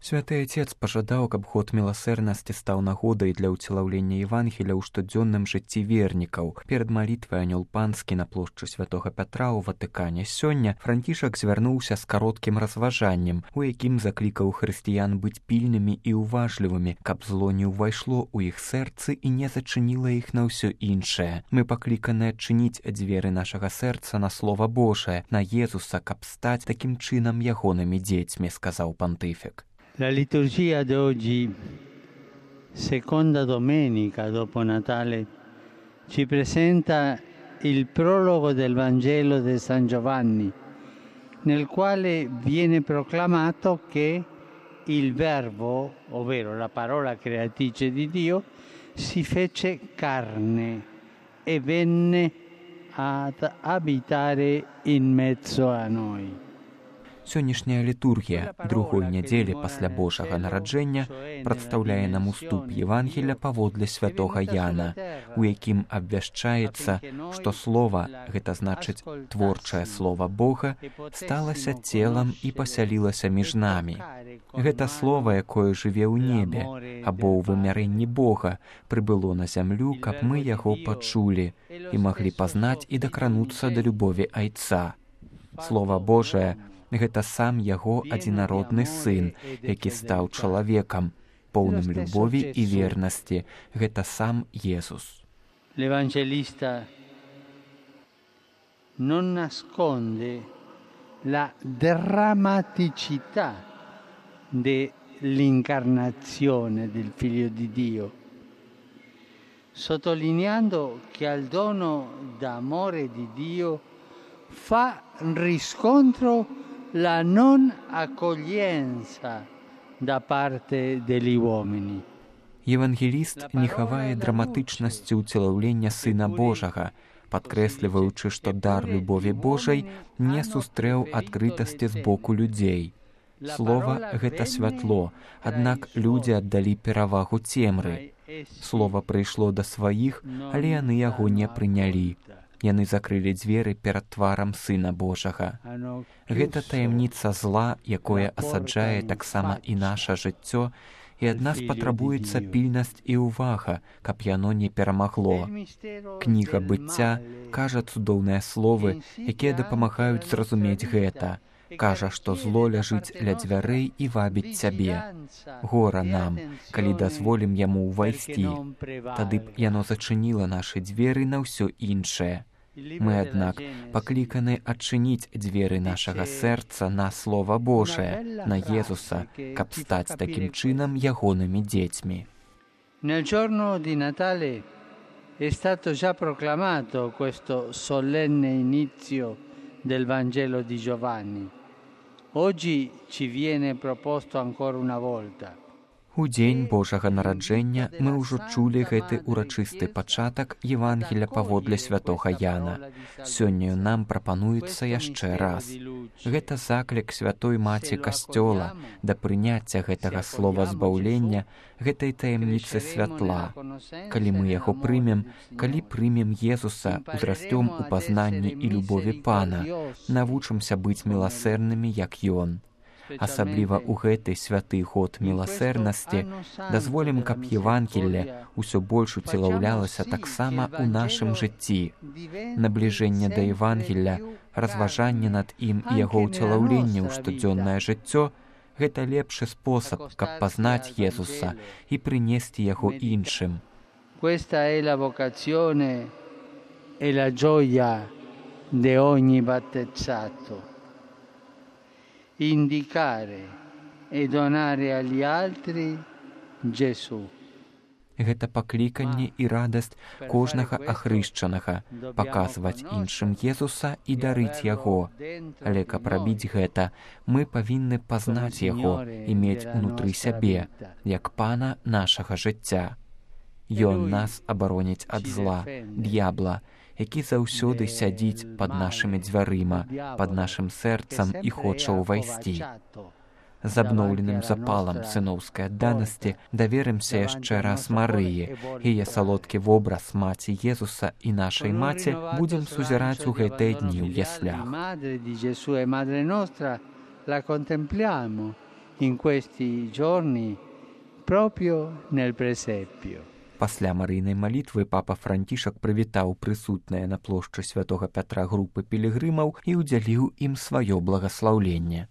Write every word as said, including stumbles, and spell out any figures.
Святы Отец пажадаў, каб год міласэрнасці стаў нагодай для ўцелаўлення Евангелія ў штодзённым жыцці вернікаў. Перад малітвай анёл панскі на плошчы святога Пятра ў Ватыкане сёння Францішак звярнуўся з кароткім разважаннем, у якім заклікаў хрысціян быць пільнымі і уважлівымі, каб зло не ўвайшло ў іх сэрцы і не зачыніла іх на ўсё іншае. Мы пакліканы адчыніць дзверы нашага сэрца на Слова Божае, на Езуса, каб стаць такім чынам ягонымі дзецьмі, сказаў пантыфік. La liturgia d'oggi, seconda domenica dopo Natale, ci presenta il prologo del Vangelo di San Giovanni, nel quale viene proclamato che il Verbo, ovvero la parola creatrice di Dio, si fece carne e venne ad abitare in mezzo a noi. Сённяшняя літургія другой нядзелі пасля Божага нараджэння прадстаўляе нам уступ Евангелля паводле святога Яна, у якім абвяшчаецца, што слова, гэта значыць творчае слова Бога, сталася целам і пасялілася між намі. Гэта слова, якое жыве ў небе, або ў вымярэнні Бога, прыбыло на зямлю, каб мы яго пачулі і маглі пазнаць і дакрануцца да любові Айца. Слова Божае — гэта сам яго адзінародны сын, які стаў чалавекам, поўным любові і вернасці. Гэта сам Jesús. L'Evangelista non nasconde la drammaticità dell'incarnazione del Figlio di Dio, sottolineando che al dono d'amore di Dio fa riscontro la non accoglienza da parte degli uomini. Евангеліст не хавае драматычнасці ўцелаўлення Сына Божага, падкрэсліваючы, што дар любові Божай не сустрэў адкрытасці з боку людзей. Слова — гэта святло, аднак людзі аддалі перавагу цемры. Слова прыйшло да сваіх, але яны яго не прынялі. Яны закрылі дзверы перад тварам Сына Божага. Гэта таямніца зла, якое асаджае таксама і наша жыццё, і ад нас патрабуецца пільнасць і ўвага, каб яно не перамагло. Кніга быцця кажа цудоўныя словы, якія дапамагаюць зразумець гэта. Кажа, што зло ляжыць ля дзвярэй і вабіць цябе. Гора нам, калі дазволім яму ўвайсці. Тады б яно зачыніла нашы дзверы на ўсё іншае. Мы, аднак, пакліканы адчыніць дзверы нашага сэрца на Слова Божае, на Езуса, каб стаць такім чынам ягонымі дзецьмі. Nel giorno di Natale è stato già proclamato questo solenne inizio del Vangelo di Giovanni. Oggi ci viene proposto ancora una volta. У дзень Божага нараджэння мы ўжо чулі гэты урачысты пачатак Евангелля паводле святога Яна. Сёння нам прапануецца яшчэ раз. Гэта заклік святой маці Касцёла да прыняцця гэтага слова збаўлення, гэтай таямніцы святла. Калі мы яго прымем, калі прымем Езуса, узрастём у пазнанні і любові Пана, навучымся быць міласэрнымі, як Ён. Асабліва ў гэты святы год міласэрнасці дазволім, каб Евангелле ўсё больш уцелаўлялася таксама ў нашым жыцці. Набліжэнне да Евангелля, разважанне над ім і яго ўцелаўленне ў штодзённае жыццё — гэта лепшы спосаб, каб пазнаць Езуса і прынесці яго іншым. Questa è la vocazione e la gioia di ogni battezzato. Indicare e donare agli altri Gesù. Гэта пакліканне і радасць кожнага ахрышчанага, паказваць іншым Езуса і дарыць яго. Але каб рабіць гэта, мы павінны пазнаць яго і мець унутры сябе, як Пана нашага жыцця. Ён нас абароніць ад зла, д'ябла, які заўсёды сядзіць пад нашымі дзвярыма, пад нашым сэрцам і хоча ўвайсці. З абноўленым запалам сыноўскай адданасці даверымся яшчэ раз Марыі. Яе салодкі вобраз маці Езуса і нашай маці будзем сузіраць у гэтыя дні ў яслях. in questi giorni proprio nel presepio. Пасля марыйнай малітвы папа Францішак прывітаў прысутныя на плошчы святога Пятра групы пілігрымаў і ўдзяліў ім сваё благаслаўленне.